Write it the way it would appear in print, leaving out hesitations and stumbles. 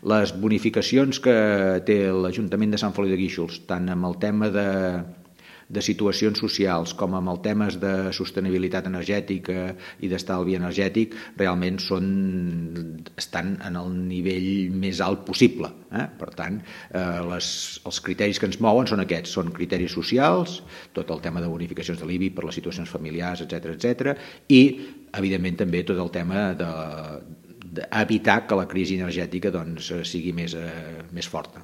Les bonificacions que té l'Ajuntament de Sant Feliu de Guíxols, tant amb el tema de situacions socials com amb els temes de sostenibilitat energètica i d'estalvi energètic, realment estan en el nivell més alt possible. Per tant, els criteris que ens mouen són aquests, són criteris socials, tot el tema de bonificacions de l'IBI per les situacions familiars, etc. I, evidentment, també tot el tema d'evitar que la crisi energètica sigui més forta.